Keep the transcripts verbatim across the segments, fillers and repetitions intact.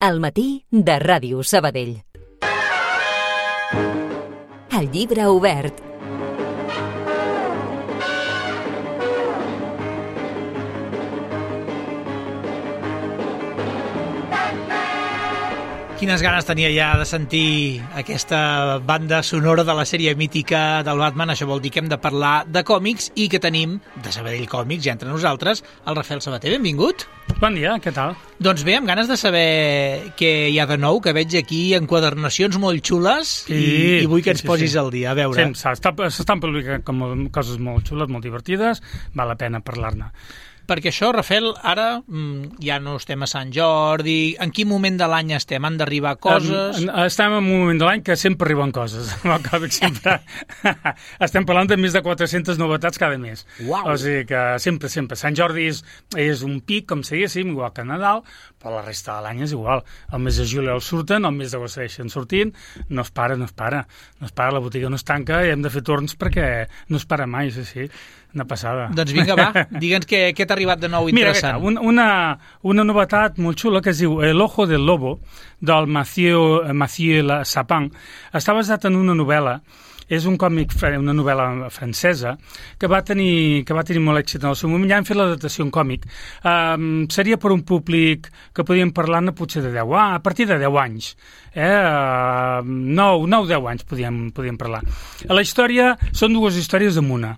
Al matí de Ràdio Sabadell. El llibre obert. Quines ganes tenia ja de sentir aquesta banda sonora de la sèrie mítica del Batman. Això vol dir que hem de parlar de còmics i que tenim, de Sabadell Còmics, ja entre nosaltres, el Rafael Sabater. Benvingut. Bon dia, què tal? Doncs bé, amb ganes de saber què hi ha de nou, que veig aquí enquadernacions molt xules sí, i, i vull que ens sí, sí, posis sí. al dia. A veure. Sí, s'estan publicant com coses molt xules, molt divertides, val la pena parlar-ne. Perquè això, Rafael, ara mm, ja no estem a Sant Jordi. En quin moment de l'any estem? Han d'arribar coses? Um, estem en un moment de l'any que sempre arriben coses. sempre... estem parlant de més de quatre-centes novetats cada mes. Uau. O sigui que sempre, sempre. Sant Jordi és, és un pic, com si diguéssim, igual que Nadal, però la resta de l'any és igual. El mes de juliol surten, el mes d'agost segueixen sortint, no es para, no es para. No es para, la botiga no es tanca i hem de fer torns perquè no es para mai, sí, sí. Una passada. Doncs vinga, va, digue'ns què, què t'ha arribat de nou interessant. Mira, una, una novetat molt xula que es diu El ojo del lobo, del Mathieu, Mathieu Sapin. Està basat en una novel·la. És un còmic, una novel·la francesa, que va tenir, que va tenir molt èxit en el seu moment. Ja han fet l'adaptació en còmic. Um, seria per un públic que podíem parlar-ne potser de deu, ah, a partir de deu anys. Eh? Uh, nou, nou, deu anys podíem, podíem parlar. La història, són dues històries en una.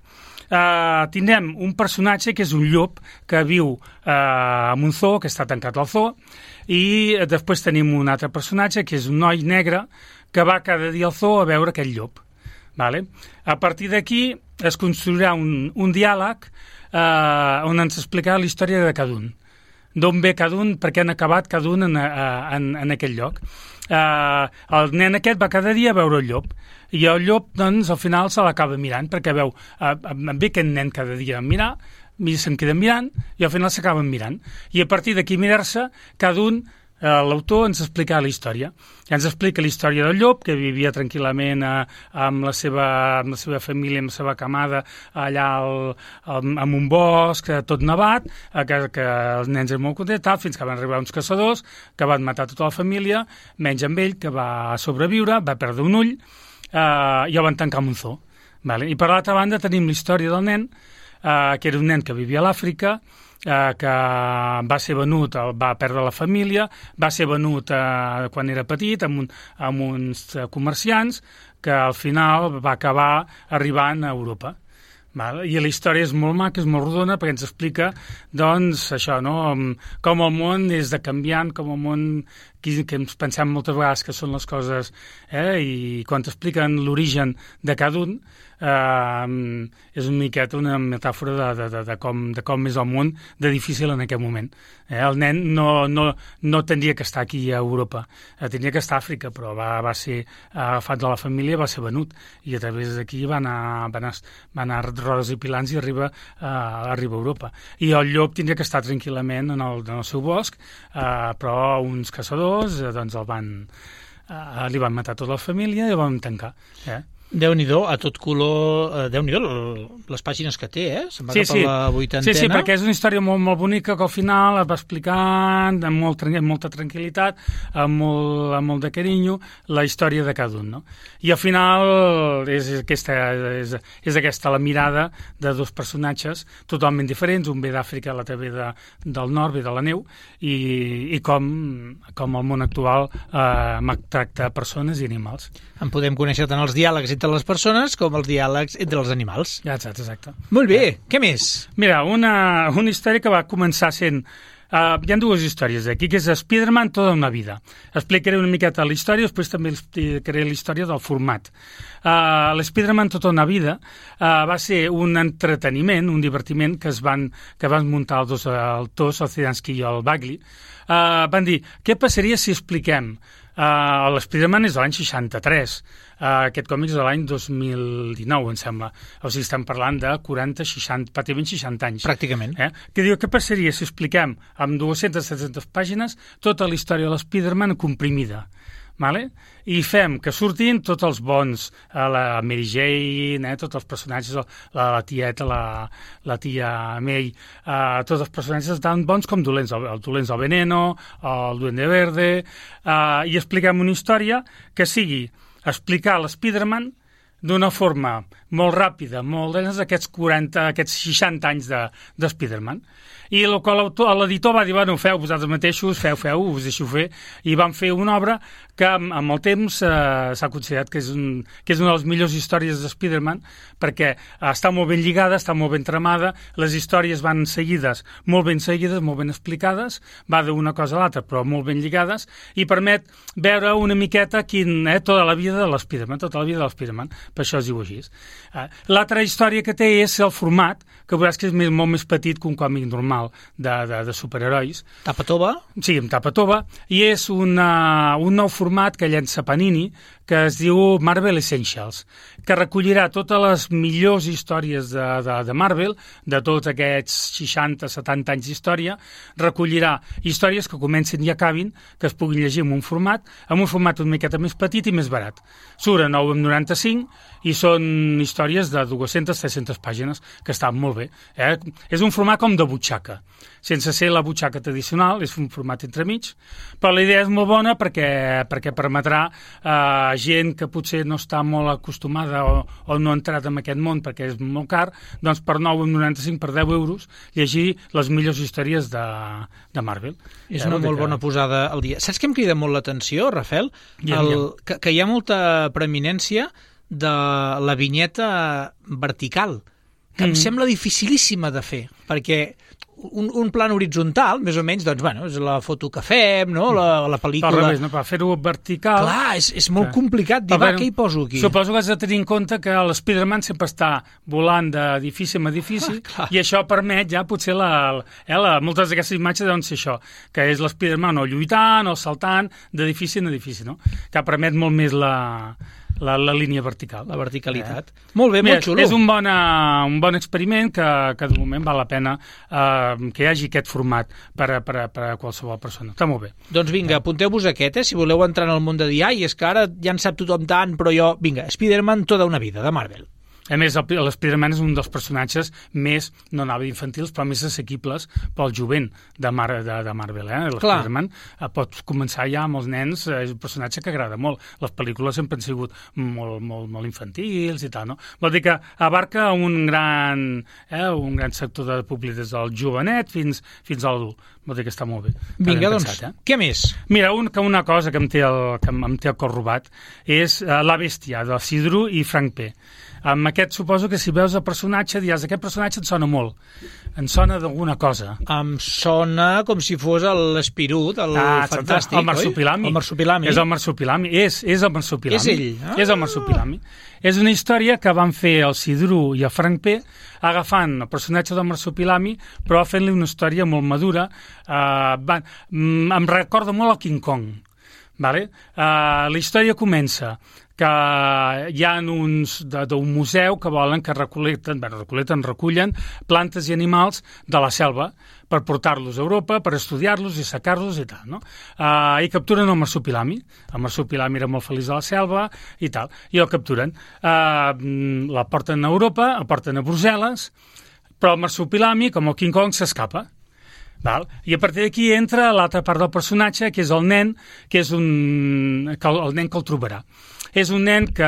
Uh, tindrem un personatge que és un llop que viu uh, en un zoo, que està tancat al zoo, i després tenim un altre personatge que és un noi negre que va cada dia al zoo a veure aquest llop. Vale? A partir d'aquí es construirà un, un diàleg uh, on ens explicarà la història de cada un. D'on ve cada un, per què han acabat cada un en, en, en aquell lloc. Uh, el nen aquest va cada dia a veure el llop i el llop, doncs, al final se l'acaba mirant perquè veu, uh, ve aquest nen cada dia a mirar i se'n queda mirant i al final s'acaben mirant i a partir d'aquí mirar-se, cada un uh, l'autor ens explica la història ens explica la història del llop que vivia tranquil·lament uh, amb, la seva, amb la seva família, amb la seva camada allà al, al, en un bosc tot nevat, uh, que, que els nens eren molt contents, tal, fins que van arribar uns caçadors que van matar tota la família menys amb ell, que va sobreviure, va perdre un ull Uh, i el van tancar en un zoo. Vale? I per l'altra banda tenim la història del nen, uh, que era un nen que vivia a l'Àfrica, uh, que va ser venut, va perdre la família, va ser venut uh, quan era petit amb, un, amb uns uh, comerciants, que al final va acabar arribant a Europa. Val? I la història és molt maca, és molt rodona, perquè ens explica, doncs, això, no?, com el món és de canviant, com el món que, que ens pensem moltes vegades que són les coses, eh?, i quan t'expliquen l'origen de cada un, eh, és una miqueta una metàfora de, de, de, de, com, de com és el món de difícil en aquest moment. Eh? El nen no, no, no tindria que estar aquí a Europa, eh, tindria que estar a Àfrica, però va, va ser agafat de la família, va ser venut, i a través d'aquí va anar, va anar, va anar rodes i pilants i arriba, uh, arriba a Europa. I el llop tindria que estar tranquil·lament en el, en el seu bosc, uh, però uns caçadors uh, doncs el van, uh, li van matar tota la família i el van tancar. Eh? Déu-n'hi-do, a tot color, Déu-n'hi-do les pàgines que té, eh? Se'n va sí, cap sí. a la vuitantena. Sí, sí, perquè és una història molt, molt bonica que al final es va explicant amb, molt, amb molta tranquil·litat, amb molt, amb molt de carinyo, la història de cada un, no? I al final és aquesta, és, és aquesta la mirada de dos personatges totalment diferents, un ve d'Àfrica, l'altre ve de, del nord, ve de la neu, i, i com, com el món actual eh, tracta persones i animals. En podem conèixer tant els diàlegs entre les persones com els diàlegs entre els animals. Ja, exacte, exacte. Molt bé, eh. Què més? Mira, una, una història que va començar sent... Uh, hi ha dues històries aquí, que és Spider-Man tota una vida. Explicaré una miqueta la història, després també explicaré la història del format. Uh, L'Spider-Man tota una vida uh, va ser un entreteniment, un divertiment que es van, que van muntar els dos autors, el Zdarsky i el Bagley. Uh, van dir, què passaria si expliquem? Uh, L'Spider-Man és de l'any seixanta-tres, uh, aquest còmic és de l'any dos mil dinou, em sembla. O sigui, estem parlant de quaranta, seixanta, pràcticament seixanta anys. Pràcticament. Eh? Que diu, què passaria si expliquem amb dues-centes setanta pàgines tota la història de l'Spider-Man comprimida? vale? I fem que surtin tots els bons, eh, la Mary Jane, eh, tots els personatges, la, la tieta, la, la tia May, eh, tots els personatges tan bons com dolents, el, el dolents del Veneno, el Duende Verde, eh, i expliquem una història que sigui explicar l'Spiderman d'una forma molt ràpida, molt dins d'aquests quaranta, aquests seixanta anys de, de Spiderman. I el que l'editor va dir, bueno, feu vosaltres mateixos, feu, feu, us deixo fer, i van fer una obra que amb, amb el temps eh, s'ha considerat que és, un, que és una de les millors històries de Spiderman, perquè eh, està molt ben lligada, està molt ben tramada, les històries van seguides, molt ben seguides, molt ben explicades, va d'una cosa a l'altra, però molt ben lligades, i permet veure una miqueta quin, eh, tota la vida de l'Spiderman, tota la vida de l'Spiderman, per això es diu així. Eh, L'altra història que té és el format, que veuràs que és més, molt més petit que un còmic normal de, de, de superherois. Tapa tova? Sí, amb tapa tova, i és una, un nou format que llença Panini, que es diu Marvel Essentials, que recollirà totes les millors històries de, de, de Marvel, de tots aquests seixanta setanta anys d'història, recollirà històries que comencin i acabin, que es puguin llegir en un format, en un format una miqueta més petit i més barat. Surt a nou coma noranta-cinc i són històries de dues-centes a tres-centes pàgines, que estan molt bé. Eh? És un format com de butxaca, sense ser la butxaca tradicional, és un format entremig, però la idea és molt bona perquè, perquè permetrà a eh, gent que potser no està molt acostumada o, o no ha entrat en aquest món perquè és molt car, doncs per nou coma noranta-cinc, per deu euros, llegir les millors històries de, de Marvel. És una molt que... bona posada al dia. Saps què em crida molt l'atenció, Rafael? Ja, El, ja. que, que hi ha molta preeminència de la vinyeta vertical, que mm. em sembla dificilíssima de fer, perquè un, un plan horitzontal, més o menys, doncs, bueno, és la foto que fem, no?, la, la pel·lícula... Per revés, no? Per fer-ho vertical... Clar, és, és molt complicat dir, va, què hi poso aquí? Suposo que has de tenir en compte que l'Spiderman sempre està volant d'edifici en edifici, ah, i això permet ja potser la, eh, la, moltes d'aquestes imatges deuen ser això, que és l'Spiderman o lluitant o saltant d'edifici en edifici, no? Que permet molt més la... La, la línia vertical. La verticalitat. Eh? Molt bé, Mira, molt xulo. És un bon, uh, un bon experiment que, que de moment val la pena uh, que hi hagi aquest format per a, per a, per a qualsevol persona. Està molt bé. Doncs vinga, apunteu-vos aquest, eh? Si voleu entrar en el món de dir, ai, és que ara ja en sap tothom tant, però jo... Vinga, Spiderman tota una vida, de Marvel. A més, l'Spiderman és un dels personatges més, no anava infantils, però més assequibles pel jovent de, Mar de, de Marvel. Eh? L'Spiderman eh, pots començar ja amb els nens, eh, és un personatge que agrada molt. Les pel·lícules sempre han sigut molt, molt, molt infantils i tal, no? Vol dir que abarca un gran, eh, un gran sector de públic des del jovenet fins, fins a l'adult. Vol dir que està molt bé. Vinga, doncs, pensat, eh? Què més? Mira, un, que una cosa que em té el, que em té el cor robat és uh, La bèstia, de Sidru i Frank P. Amb aquest suposo que si veus el personatge diràs, aquest personatge em sona molt, em sona d'alguna cosa. Em sona com si fos l'Espirut, el ah, fantàstic, el marsupilami. El marsupilami. És el marsupilami, és, és el marsupilami. És ell. Ah. És el marsupilami. És una història que van fer el Sidru i el Frank P agafant el personatge del marsupilami, però fent-li una història molt madura. Uh, van, mm, em recorda molt al King Kong. Vale? Uh, la història comença que hi ha uns d'un museu que volen que recolecten, bueno, recolecten, recullen plantes i animals de la selva per portar-los a Europa, per estudiar-los i sacar-los i tal, no? Uh, I capturen el marsupilami. El marsupilami era molt feliç a la selva i tal, i el capturen. Uh, la porten a Europa, el porten a Brussel·les, però el marsupilami, com el King Kong, s'escapa. Val? I a partir d'aquí entra l'altra part del personatge, que és el nen, que és un, que el, el nen que el trobarà. És un nen que,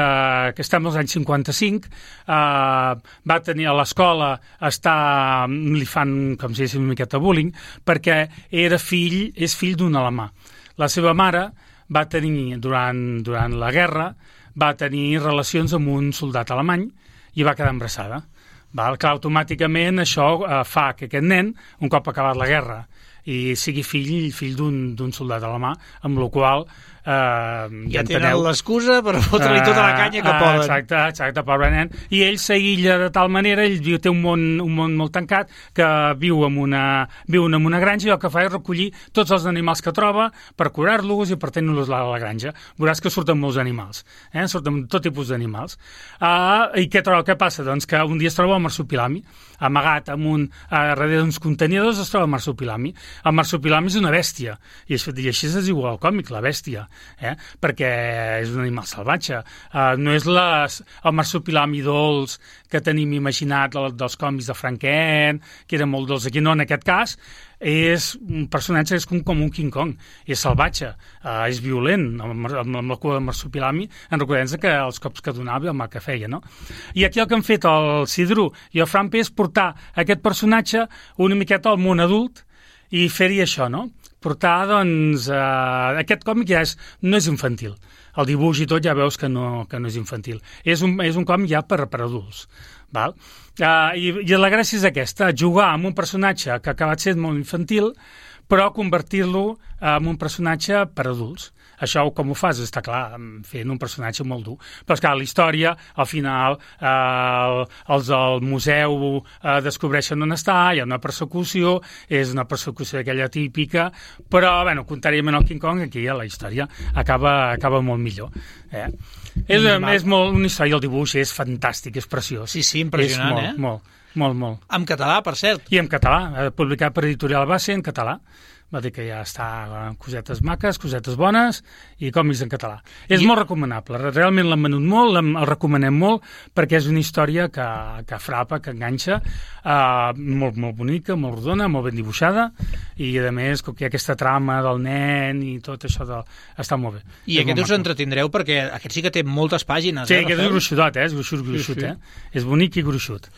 que està als anys cinquanta-cinc, eh, va tenir a l'escola, està, li fan, com si diguéssim, una miqueta bullying, perquè era fill, és fill d'un alemà. La seva mare va tenir, durant, durant la guerra, va tenir relacions amb un soldat alemany i va quedar embarassada. Val? Clar, automàticament això eh, fa que aquest nen, un cop acabat la guerra, i sigui fill fill d'un soldat alemà, amb la qual eh, ja tenen l'excusa per fotre-li tota la canya que eh, poden. Exacte, exacte, pobre nen. I ell s'aïlla de tal manera, ell té un món, un món molt tancat, que viu en una, viu en una granja, i el que fa és recollir tots els animals que troba per curar-los i per tenir-los a la granja. Veuràs que surten molts animals, eh? Surten tot tipus d'animals. Uh, I què troba? Què passa? Doncs que un dia es troba el marsupilami, amagat amb un, uh, darrere d'uns contenidors es troba el marsupilami, El marsupilami és una bèstia, i, i així es diu al còmic, la bèstia, eh? perquè és un animal salvatge. Uh, no és les, el marsupilami dolç que tenim imaginat dels còmics de Frank Kent, que era molt dolç. Aquí no, en aquest cas, és un personatge és com, com un King Kong, és salvatge, uh, és violent, amb, amb, amb la cua del marsupilami, en recordem que els cops que donava i el mal que feia, no? I aquí el que han fet el Sidru i el Frampe és portar aquest personatge una miqueta al món adult i fer-hi això, no? Portar, doncs, uh, aquest còmic ja és, no és infantil. El dibuix i tot ja veus que no, que no és infantil. És un, és un còmic ja per, per adults, val? Uh, i, I la gràcia és aquesta, jugar amb un personatge que ha acabat sent molt infantil, però convertir-lo en un personatge per adults. Això com ho fas? Està clar, fent un personatge molt dur. Però, esclar, la història, al final, eh, els del museu eh, descobreixen on està, hi ha una persecució, és una persecució d'aquella típica, però, bueno, contrariament al King Kong, aquí la història acaba, acaba molt millor. Eh? És, és molt, una història, el dibuix és fantàstic, és preciós. Sí, sí, impressionant, és molt, eh? Molt, molt, molt. En català, per cert. I en català, publicat per Editorial Base en català. Va dir que ja està cosetes maques, cosetes bones i còmics en català. És I... molt recomanable, realment l'hem venut molt, el recomanem molt, perquè és una història que, que frapa, que enganxa, uh, molt, molt bonica, molt rodona, molt ben dibuixada, i a més que hi ha aquesta trama del nen i tot això de... està molt bé. I és aquest us entretindreu perquè aquest sí que té moltes pàgines. Sí, eh, aquest és gruixudot, eh? És gruixut, gruixut, sí, sí. eh? És bonic i gruixut.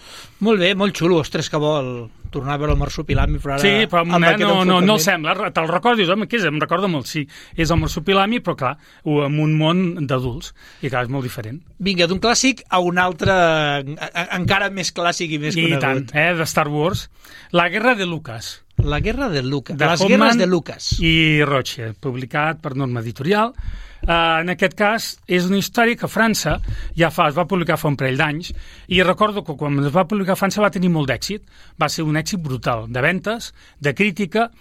Molt bé, molt xulo, ostres, que vol tornar a veure el marsupilami, però ara... Sí, però no, no, no, no el sembla. Te'l recordo, dius, home, què és? Em recorda molt, sí. És el marsupilami, però clar, en un món d'adults. I clar, és molt diferent. Vinga, d'un clàssic a un altre encara més clàssic i més I conegut. I tant, eh? De Star Wars. La guerra de Lucas. La guerra de Lucas. De Les Hoffman guerres de Lucas. I Roche, publicat per Norma Editorial. Uh, en aquest cas, és una història que França ja fa, es va publicar fa un parell d'anys, i recordo que quan es va publicar a França va tenir molt d'èxit. Va ser un èxit brutal, de ventes, de crítica,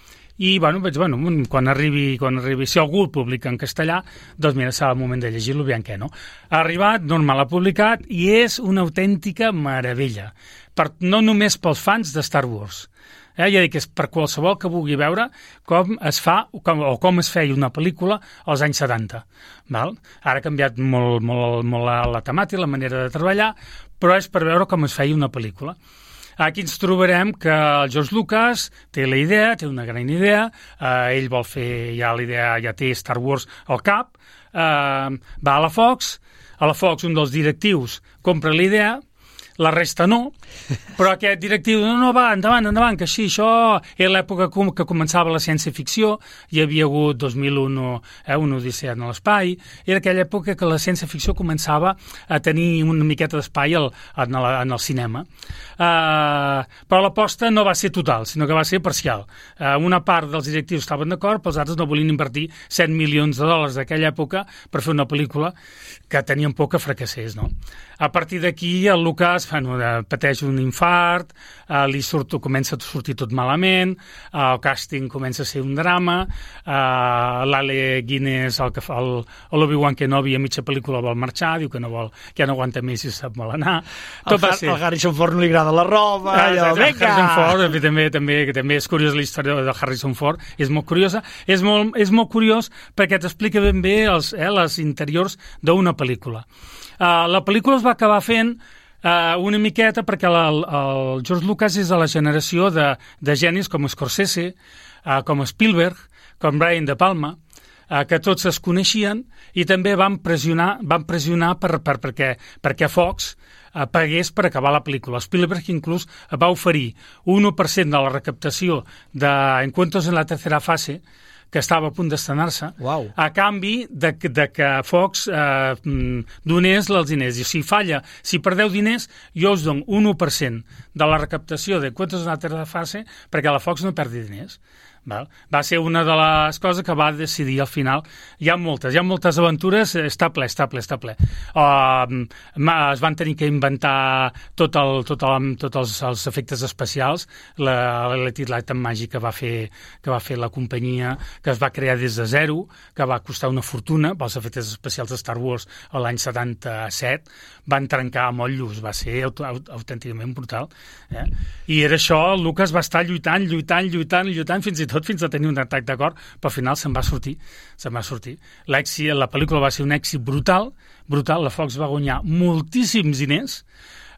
i bueno, vaig, bueno, quan arribi, quan arribi, si algú el publica en castellà, doncs mira, serà el moment de llegir-lo, aviam què, no? Ha arribat, Norma l'ha publicat, i és una autèntica meravella, per, no només pels fans de Star Wars. Eh, ja dic que és per qualsevol que vulgui veure com es fa com, o com es feia una pel·lícula als anys setanta. Val? Ara ha canviat molt, molt, molt la, la temàtica, la manera de treballar, però és per veure com es feia una pel·lícula. Aquí ens trobarem que el George Lucas té la idea, té una gran idea, eh, ell vol fer, ja la idea, ja té Star Wars al cap, eh, va a la Fox, a la Fox un dels directius compra la idea, la resta no, però aquest directiu no, no, va, endavant, endavant, que així, això era l'època que començava la ciència-ficció, hi havia hagut dos mil un, eh, una odissea en l'espai, era aquella època que la ciència-ficció començava a tenir una miqueta d'espai al, en, el, en el cinema. Uh, però l'aposta no va ser total, sinó que va ser parcial. Uh, una part dels directius estaven d'acord, però els altres no volien invertir set milions de dòlars d'aquella època per fer una pel·lícula que tenien por que fracassés, no? A partir d'aquí el Lucas bueno, pateix un infart, eh, li surt, comença a sortir tot malament, eh, el càsting comença a ser un drama, eh, l'Ale Guinness, el que fa el, l'Obi-Wan Kenobi a mitja pel·lícula vol marxar, diu que no vol, que ja no aguanta més i sap mal anar. Tot el, va ser... el Harrison Ford no li agrada la roba, ah, allò, vinga! Harrison Ford, també, també, també és curiosa la història de Harrison Ford, és molt curiosa, és molt, és molt curiós perquè t'explica ben bé els, eh, les interiors d'una pel·lícula. Uh, la pel·lícula es va acabar fent uh, una miqueta perquè la, el, el George Lucas és de la generació de, de genis com Scorsese, uh, com Spielberg, com Brian De Palma, uh, que tots es coneixien i també van pressionar, van pressionar per, per, perquè, perquè Fox uh, pagués per acabar la pel·lícula. Spielberg inclús va oferir un u per cent de la recaptació de Encuentros en la tercera fase, que estava a punt d'estrenar-se, wow. a canvi de, de que Fox eh, donés els diners. I si falla, si perdeu diners, jo us dono un u per cent de la recaptació de Cuentos de la tercera fase perquè la Fox no perdi diners. Val? Va ser una de les coses que va decidir al final. Hi ha moltes, hi ha moltes aventures, està ple, està ple, està ple. Uh, es van tenir que inventar tot el, tot el, tots els, els efectes especials, l'Electric Light and Magic que va, fer, que va fer la companyia, que es va crear des de zero, que va costar una fortuna, pels efectes especials de Star Wars a l'any setanta-set, van trencar amb el llus, va ser aut aut autènticament brutal. Eh? I era això, Lucas va estar lluitant, lluitant, lluitant, lluitant, fins i tot tot fins a tenir un atac de cor, però al final se'n va sortir, se'n va sortir. L'èxit, la pel·lícula va ser un èxit brutal, brutal, la Fox va guanyar moltíssims diners,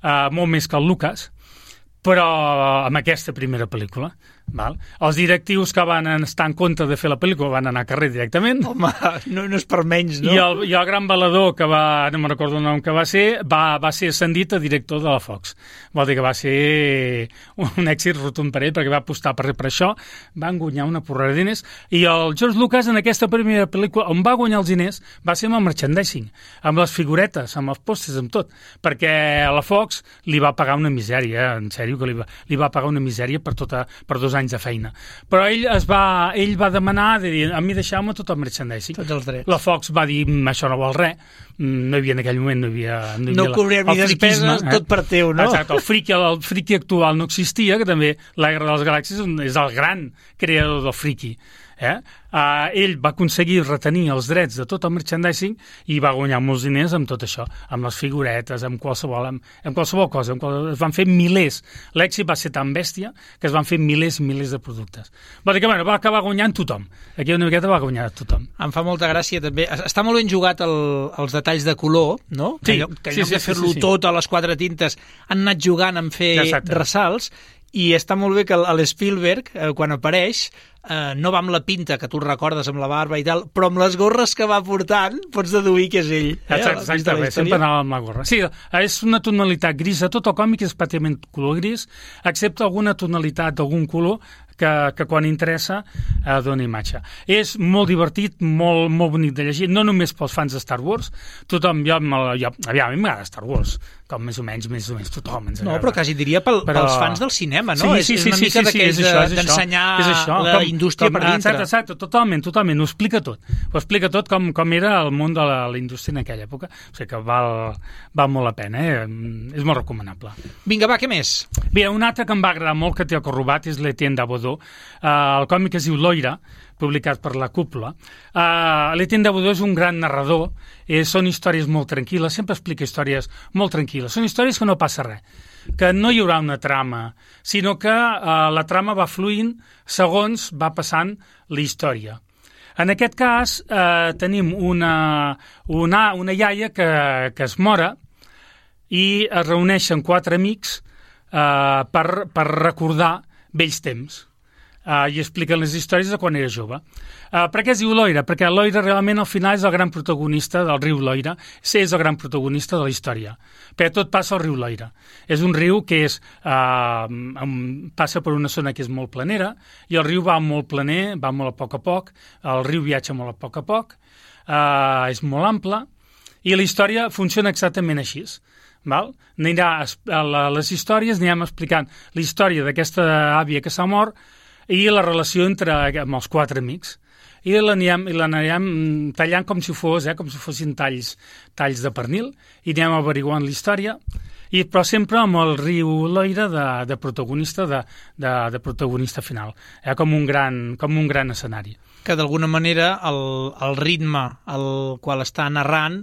uh, molt més que el Lucas, però amb aquesta primera pel·lícula. Val? Els directius que van estar en contra de fer la pel·lícula van anar a carrer directament. Home, no, no és per menys, no? I el, i el gran balador, que va, no me'n recordo el nom que va ser, va, va ser ascendit a director de la Fox. Vol dir que va ser un èxit rotund per ell, perquè va apostar per, per això, van guanyar una porrada de diners, i el George Lucas en aquesta primera pel·lícula, on va guanyar els diners, va ser amb el merchandising, amb les figuretes, amb els pòsters, amb tot, perquè a la Fox li va pagar una misèria, en sèrio, que li va, li va pagar una misèria per, tota, per dos anys de feina. Però ell es va, ell va demanar de dir, a mi deixeu-me tot el merchandising. Tots els drets. La Fox va dir, això no vol res, no hi havia en aquell moment, no hi havia... No, hi havia no cobrem ni despeses, eh? Tot per teu, no? Exacte, el friki, el friki actual no existia, que també la Guerra de les Galàxies és el gran creador del friki. Eh? Uh, ell va aconseguir retenir els drets de tot el merchandising i va guanyar molts diners amb tot això, amb les figuretes, amb qualsevol, amb, amb qualsevol cosa. Amb qual... Es van fer milers. L'èxit va ser tan bèstia que es van fer milers i milers de productes. Vol dir que bueno, va acabar guanyant tothom. Aquí una miqueta va guanyar tothom. Em fa molta gràcia també. Està molt ben jugat el, els detalls de color, no? Sí, que, que sí, sí, de fer-lo sí, sí, sí. tot a les quatre tintes han anat jugant en fer Exacte. ressalts. I està molt bé que l'Spielberg, eh, quan apareix, eh, no va amb la pinta que tu recordes amb la barba i tal, però amb les gorres que va portant pots deduir que és ell. Eh, Exacte, exacte, sempre anava amb la gorra. Sí, és una tonalitat grisa, tot el còmic és pràcticament color gris, excepte alguna tonalitat d'algun color que, que quan interessa eh, dona imatge. És molt divertit, molt, molt bonic de llegir, no només pels fans de Star Wars, tothom, jo, jo aviam, a mi m'agrada Star Wars, com més o menys, més o menys tothom ens agrada. No, però quasi diria pel, però... pels fans del cinema, no? Sí, sí, sí, és una sí, mica sí, d'aquells sí, sí, d'ensenyar la com, indústria com, per dintre. Exacte, exacte, totalment, totalment, ho explica tot. Ho explica tot com, com era el món de la, la indústria en aquella època. O sigui que val, val molt la pena, eh? És molt recomanable. Vinga, va, què més? Bé, un altre que em va agradar molt, que té el corrobat, és l'Etienne Davoudou. Uh, el còmic es diu Loira, publicat per la Cúpula. Uh, L'Etienne Davoudou és un gran narrador, eh, són històries molt tranquil·les, sempre explica històries molt tranquil·les. Són històries que no passa res, que no hi haurà una trama, sinó que uh, la trama va fluint segons va passant la història. En aquest cas, eh, tenim una, una, una iaia que, que es mora i es reuneixen quatre amics eh, per, per recordar vells temps. Uh, i expliquen les històries de quan era jove. Uh, per què es diu Loira? Perquè Loira realment al final és el gran protagonista del riu Loira, sí, és el gran protagonista de la història, perquè tot passa al riu Loira. És un riu que és, uh, um, passa per una zona que és molt planera, i el riu va molt planer, va molt a poc a poc, el riu viatja molt a poc a poc, uh, és molt ample, i la història funciona exactament així. Val? Anirà a les històries, anirem explicant la història d'aquesta àvia que s'ha mort, i la relació entre amb els quatre amics. I l'anirem tallant com si fos, eh, com si fossin talls, talls de pernil, i anem averiguant la història, i, però sempre amb el riu Loira de, de protagonista de, de, de protagonista final, eh, com, un gran, com un gran escenari. Que d'alguna manera el, el ritme al qual està narrant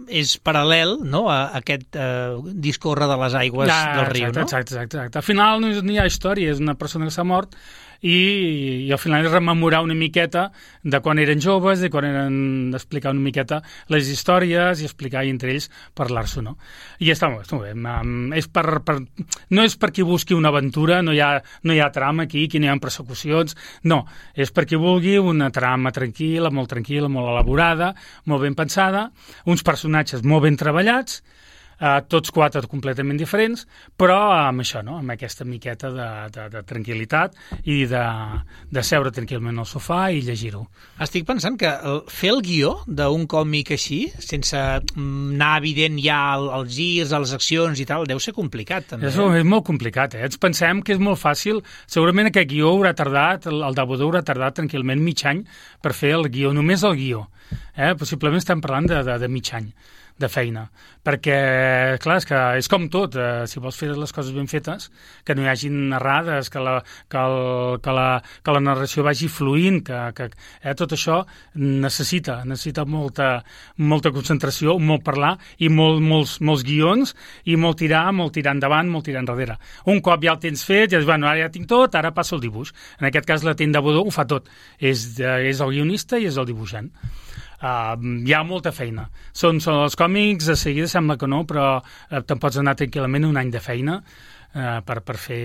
és paral·lel, no?, a aquest eh, discórrer de les aigües ja, del riu, exacte, no? Exacte, exacte, exacte. Al final no hi ha història, és una persona que s'ha mort i, i al final és rememorar una miqueta de quan eren joves, de quan eren d'explicar una miqueta les històries i explicar i entre ells parlar-s'ho, no? I està molt, està molt bé. És per, per, no és per qui busqui una aventura, no hi ha, no hi ha trama aquí, aquí no hi ha persecucions, no, és per qui vulgui una trama tranquil·la, molt tranquil·la, molt elaborada, molt ben pensada, uns personatges molt ben treballats, eh, tots quatre completament diferents, però amb això, no?, amb aquesta miqueta de, de, de tranquil·litat i de, de seure tranquil·lament al sofà i llegir-ho. Estic pensant que el, fer el guió d'un còmic així, sense anar evident ja el, els girs, les accions i tal, deu ser complicat, també. És, és molt complicat, eh? Ens pensem que és molt fàcil. Segurament aquest guió haurà tardat, el, el Davoudou haurà tardat tranquil·lament mig any per fer el guió, només el guió. Eh? Possiblement estem parlant de, de, de mig any. de feina, perquè, clar, és que és com tot, eh, si vols fer les coses ben fetes, que no hi hagin errades, que la, que el, que la, que la narració vagi fluint, que, que eh, tot això necessita, necessita molta, molta concentració, molt parlar i molt, molts, molts guions i molt tirar, molt tirar endavant, molt tirar enrere. Un cop ja el tens fet, ja dius, bueno, ara ja tinc tot, ara passo el dibuix. En aquest cas, la Tenda Bodó ho fa tot. És, és el guionista i és el dibuixant. Uh, hi ha molta feina. Són, són els còmics, de seguida sembla que no, però uh, te'n pots anar tranquil·lament un any de feina uh, per, per fer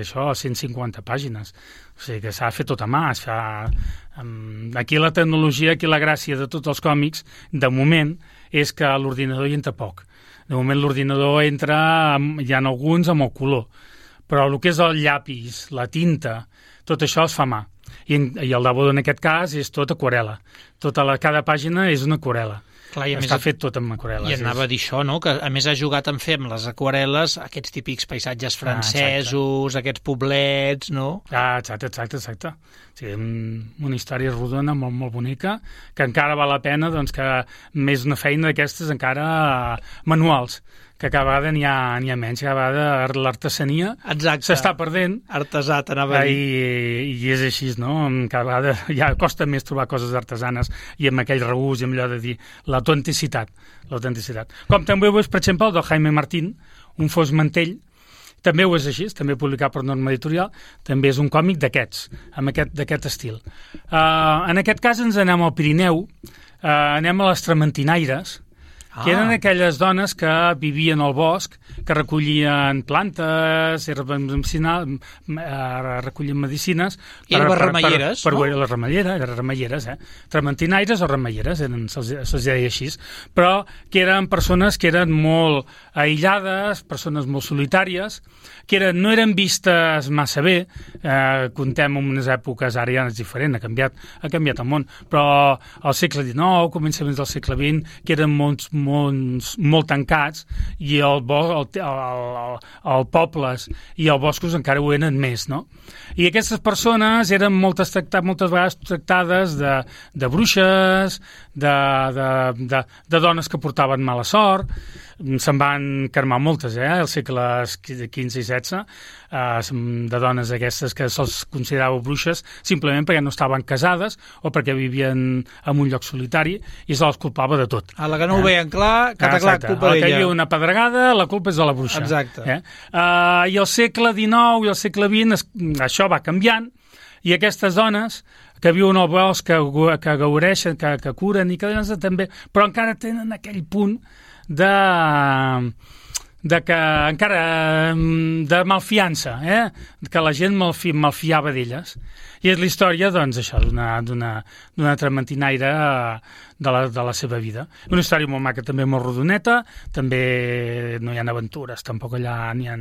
això, cent cinquanta pàgines. O sigui que s'ha de fer tot a mà. Es fa, um, aquí la tecnologia, aquí la gràcia de tots els còmics, de moment, és que l'ordinador hi entra poc. De moment l'ordinador entra, amb, hi ha alguns amb el color, però el que és el llapis, la tinta, tot això es fa a mà. I, i el Dabo, en aquest cas, és tot aquarel·la. Tota la, cada pàgina és una aquarel·la. Clar, i està més, fet tot amb aquarel·les. I anava a dir això, no? Que a més ha jugat en fer amb les aquarel·les aquests típics paisatges francesos, ah, aquests poblets, no? Ah, exacte, exacte, exacte. O sigui, una història rodona, molt, molt bonica, que encara val la pena, doncs, que més una feina d'aquestes encara manuals, que cada vegada n'hi ha, n'hi ha menys, cada vegada l'artesania s'està perdent. Artesà, t'anava a dir. I, I és així, no? Cada vegada ja costa més trobar coses artesanes i amb aquell regust i amb allò de dir l'autenticitat, l'autenticitat. Com també ho és, per exemple, el del Jaime Martín, Un fos mantell, també ho és així, també publicat per Norma Editorial, també és un còmic d'aquests, amb aquest, d'aquest estil. Uh, en aquest cas ens anem al Pirineu, uh, anem a les Trementinaires, Ah. que eren aquelles dones que vivien al bosc, que recollien plantes, recollien medicines... I eren remeieres, per, per, per, no? Les remeieres, eren remeieres, eh? Trementinaires o remeieres, eren, se'ls, se'ls deia així, però que eren persones que eren molt aïllades, persones molt solitàries, que eren, no eren vistes massa bé, eh, contem en unes èpoques, ara ja és diferent, ha canviat, ha canviat el món, però al segle dinou, començaments del segle vint, que eren molts mons molt tancats i el, bo, el, el, el, el pobles i els boscos encara ho eren més, no? I aquestes persones eren moltes, tractades, moltes vegades tractades de, de bruixes, de, de, de, de dones que portaven mala sort. Se'n van cremar moltes, eh, als segles quinze i setze, eh, de dones aquestes que se'ls considerava bruixes simplement perquè no estaven casades o perquè vivien en un lloc solitari i se les culpava de tot. A la que no ho veien clar, que clar, culpa d'ella. A la que hi havia una pedregada, la culpa és de la bruixa. Exacte. Eh? Uh, I al segle dinou i al segle vint es, això va canviant i aquestes dones que viuen al bosc, que, que gaudeixen, que, que curen i que també, però encara tenen aquell punt de, de que encara de malfiança, eh? Que la gent malfi, malfiava d'elles. I és la història, doncs, això, d'una, d'una, d'una trementinaire de la, de la seva vida. Una història molt maca, també molt rodoneta, també no hi ha aventures, tampoc allà n'hi ha,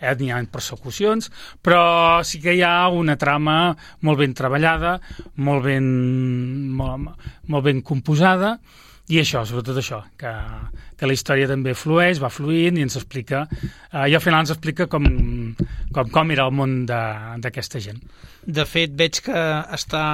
eh, n'hi ha persecucions, però sí que hi ha una trama molt ben treballada, molt ben, molt, molt ben composada, i això, sobretot això, que, que la història també flueix, va fluint i ens explica, eh, i al final ens explica com, com, com era el món d'aquesta gent. De fet, veig que està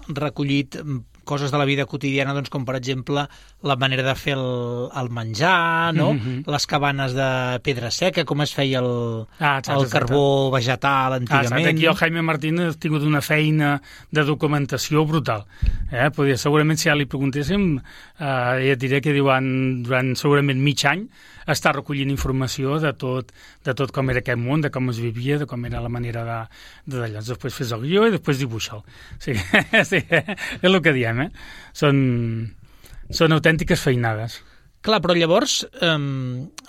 recollit coses de la vida quotidiana, doncs, com per exemple la manera de fer el, el menjar, no? Mm-hmm. Les cabanes de pedra seca, com es feia el, ah, exacte, el carbó exacte. vegetal antigament. Ah, aquí el Jaime Martín ha tingut una feina de documentació brutal. Eh? Podria, segurament, si ja li preguntéssim, eh, ja et diré que durant, durant segurament mig any està recollint informació de tot, de tot com era aquest món, de com es vivia, de com era la manera de, de d'allò. Després fes el guió i després dibuixa'l. Sí, sí, és el que diem, eh? Són, són autèntiques feinades. Clar, però llavors, eh,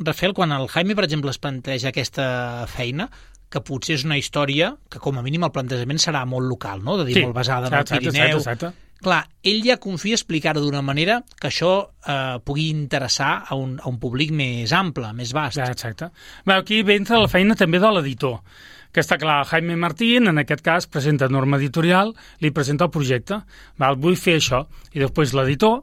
Rafael, quan el Jaime, per exemple, es planteja aquesta feina, que potser és una història que, com a mínim, el plantejament serà molt local, no? De dir, sí, molt basada en el Pirineu. Exacte, exacte. Clar, ell ja confia explicar-ho d'una manera que això eh, pugui interessar a un, a un públic més ample, més vast. Ja, exacte. Bé, aquí ve entra la feina també de l'editor, que està clar, Jaime Martín, en aquest cas, presenta Norma Editorial, li presenta el projecte, val, vull fer això, i després l'editor,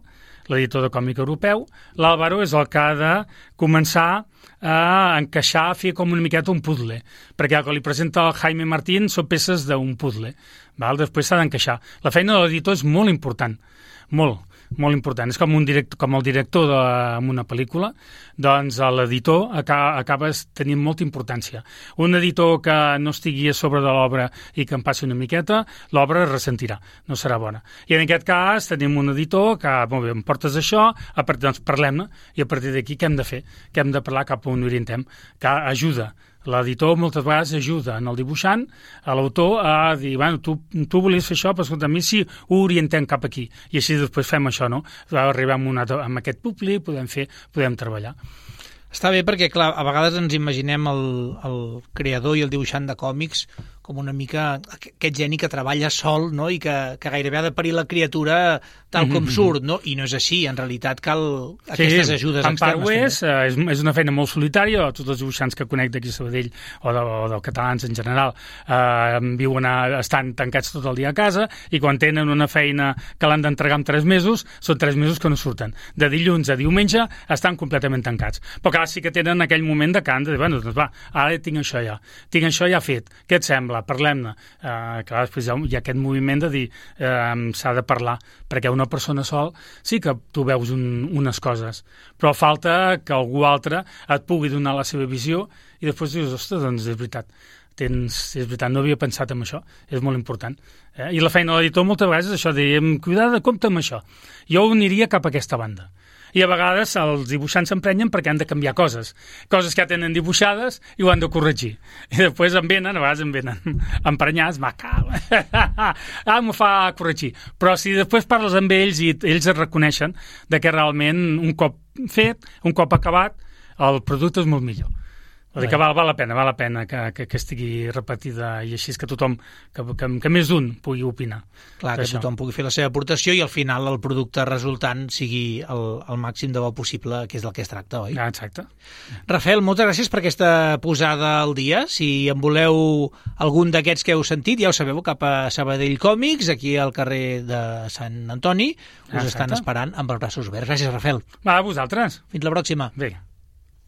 l'editor de còmic europeu, l'Àlvaro és el que ha de començar a encaixar, a fer com una miqueta un puzzle, perquè el que li presenta el Jaime Martín són peces d'un puzzle, val? Després s'ha d'encaixar. La feina de l'editor és molt important, molt. molt important. És com, un director, com el director d'una pel·lícula, doncs l'editor acaba, acaba tenint molta importància. Un editor que no estigui a sobre de l'obra i que en passi una miqueta, l'obra es ressentirà, no serà bona. I en aquest cas tenim un editor que, molt bé, em portes això, a partir, doncs parlem-ne, i a partir d'aquí què hem de fer? Què hem de parlar, cap on orientem? Que ajuda. L'editor moltes vegades ajuda en el dibuixant, a l'autor, a dir, bueno, tu, tu volies fer això, però escolta, a mi sí ho orientem cap aquí. I així després fem això, no? Arribem a, a aquest públic, podem fer, podem treballar. Està bé perquè, clar, a vegades ens imaginem el, el creador i el dibuixant de còmics com una mica aquest geni que treballa sol, no? I que, que gairebé ha de parir la criatura tal com mm-hmm. surt, no? I no és així, en realitat cal aquestes sí, ajudes externes. En part ho és, és, és una feina molt solitària, tots els dibuixants que conec d'aquí a Sabadell o, de, o dels catalans en general eh, viuen a, estan tancats tot el dia a casa i quan tenen una feina que l'han d'entregar en tres mesos, són tres mesos que no surten. De dilluns a diumenge estan completament tancats. Però clar, sí que tenen aquell moment de cant de dir, bueno, doncs va, ara tinc això ja, tinc això ja fet, què et sembla? Parlem-ne. Eh, clar, després hi ha, hi ha aquest moviment de dir eh, s'ha de parlar, perquè una persona sol sí que tu veus un, unes coses, però falta que algú altre et pugui donar la seva visió i després dius, ostres, doncs és veritat. Tens, és veritat, no havia pensat en això, és molt important. Eh? I la feina de l'editor moltes vegades és això, dèiem, cuidado, compte amb això. Jo ho aniria cap a aquesta banda. I a vegades els dibuixants s'emprenyen perquè han de canviar coses. Coses que ja tenen dibuixades i ho han de corregir. I després en venen, a vegades en venen emprenyats, va, cal, ah, m'ho fa corregir. Però si després parles amb ells i ells es reconeixen de que realment un cop fet, un cop acabat, el producte és molt millor. Vull dir que val, val la pena, val la pena que, que, que estigui repetida i així és que tothom, que, que, que més d'un pugui opinar. Clar, que això. Tothom pugui fer la seva aportació i al final el producte resultant sigui el, el màxim de bo possible, que és del que es tracta, oi? Ah, exacte. Rafael, moltes gràcies per aquesta posada al dia. Si en voleu algun d'aquests que heu sentit, ja ho sabeu, cap a Sabadell Còmics, aquí al carrer de Sant Antoni, us exacte. Estan esperant amb els braços oberts. Gràcies, Rafael. Va, a vosaltres. Fins la pròxima. Bé.